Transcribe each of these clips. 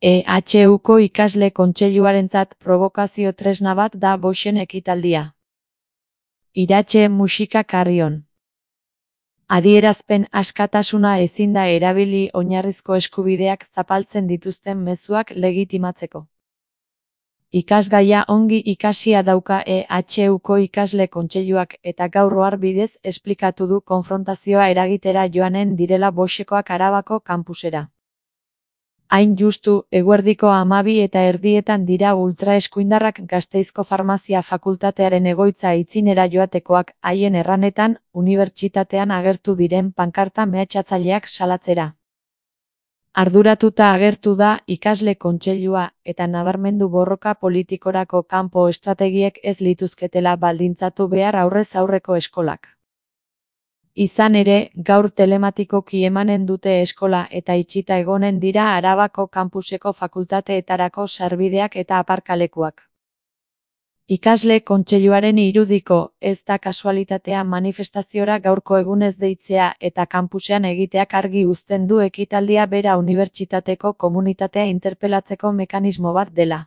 EHUko ikasle kontseiluarentzat probokazio tresna bat da Boixen ekitaldia. Iratxe musika Carrion. Adierazpen askatasuna ezin da erabili oinarrizko eskubideak zapaltzen dituzten mezuak legitimatzeko. Ikasgaia ongi ikasia dauka EHUko ikasle kontseiluak eta gaur ohar bidez esplikatu du konfrontazioa eragitera joanen direla Boixekoak Arabako kampusera. Hain justu, eguerdiko 12:30 dira ultraeskuindarrak Gasteizko Farmazia Fakultatearen egoitza aitzinera joatekoak, haien erranetan, unibertsitatean agertu diren pankarta mehatxatzaileak salatzera. Arduratuta agertu da ikasle kontseilua eta nabarmendu borroka politikorako kanpo estrategiek ez lituzketela baldintzatu behar aurrez aurreko eskolak. Izan ere, gaur telematikoki emanen dute eskola eta itxita egonen dira Arabako kampuseko fakultateetarako sarbideak eta aparkalekuak. Ikasle kontseiluaren irudiko, ez da kasualitatea manifestaziora gaurko egunez deitzea eta kampusean egiteak argi uzten du ekitaldia bera unibertsitateko komunitatea interpelatzeko mekanismo bat dela.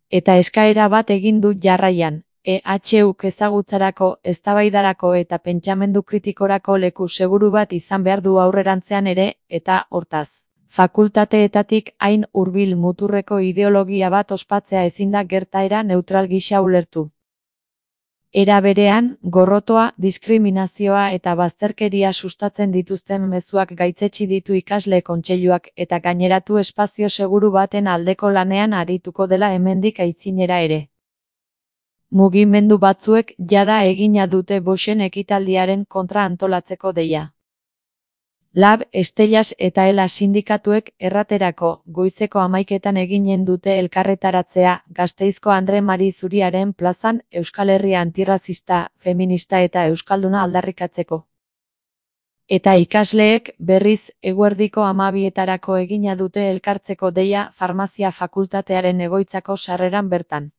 Eta eskaera bat egin du jarraian. EHUk ezagutzarako, eztabaidarako eta pentsamendu kritikorako leku seguru bat izan behar du aurrerantzean ere, eta, hortaz, fakultateetatik hain hurbil muturreko ideologia bat ospatzea ezin da gertaera neutral gisa ulertu. Era berean, gorrotoa, diskriminazioa eta bazterkeria sustatzen dituzten mezuak gaitzetsi ditu ikasle kontseiluak eta gaineratu espazio seguru baten aldeko lanean arituko dela hemendik aitzinera ere. Mugimendu batzuek jada egina dute Boixen ekitaldiaren kontra antolatzeko deia. Lab, Estellas eta Ela sindikatuek erraterako goizeko 11:00 eginen dute elkarretaratzea Gasteizko Andre Mari Zuriaren plazan Euskal Herria antirrazista, feminista eta euskalduna aldarrikatzeko. Eta ikasleek, berriz, eguerdiko 12:00 egina dute elkartzeko deia Farmazia Fakultatearen egoitzako sarreran bertan.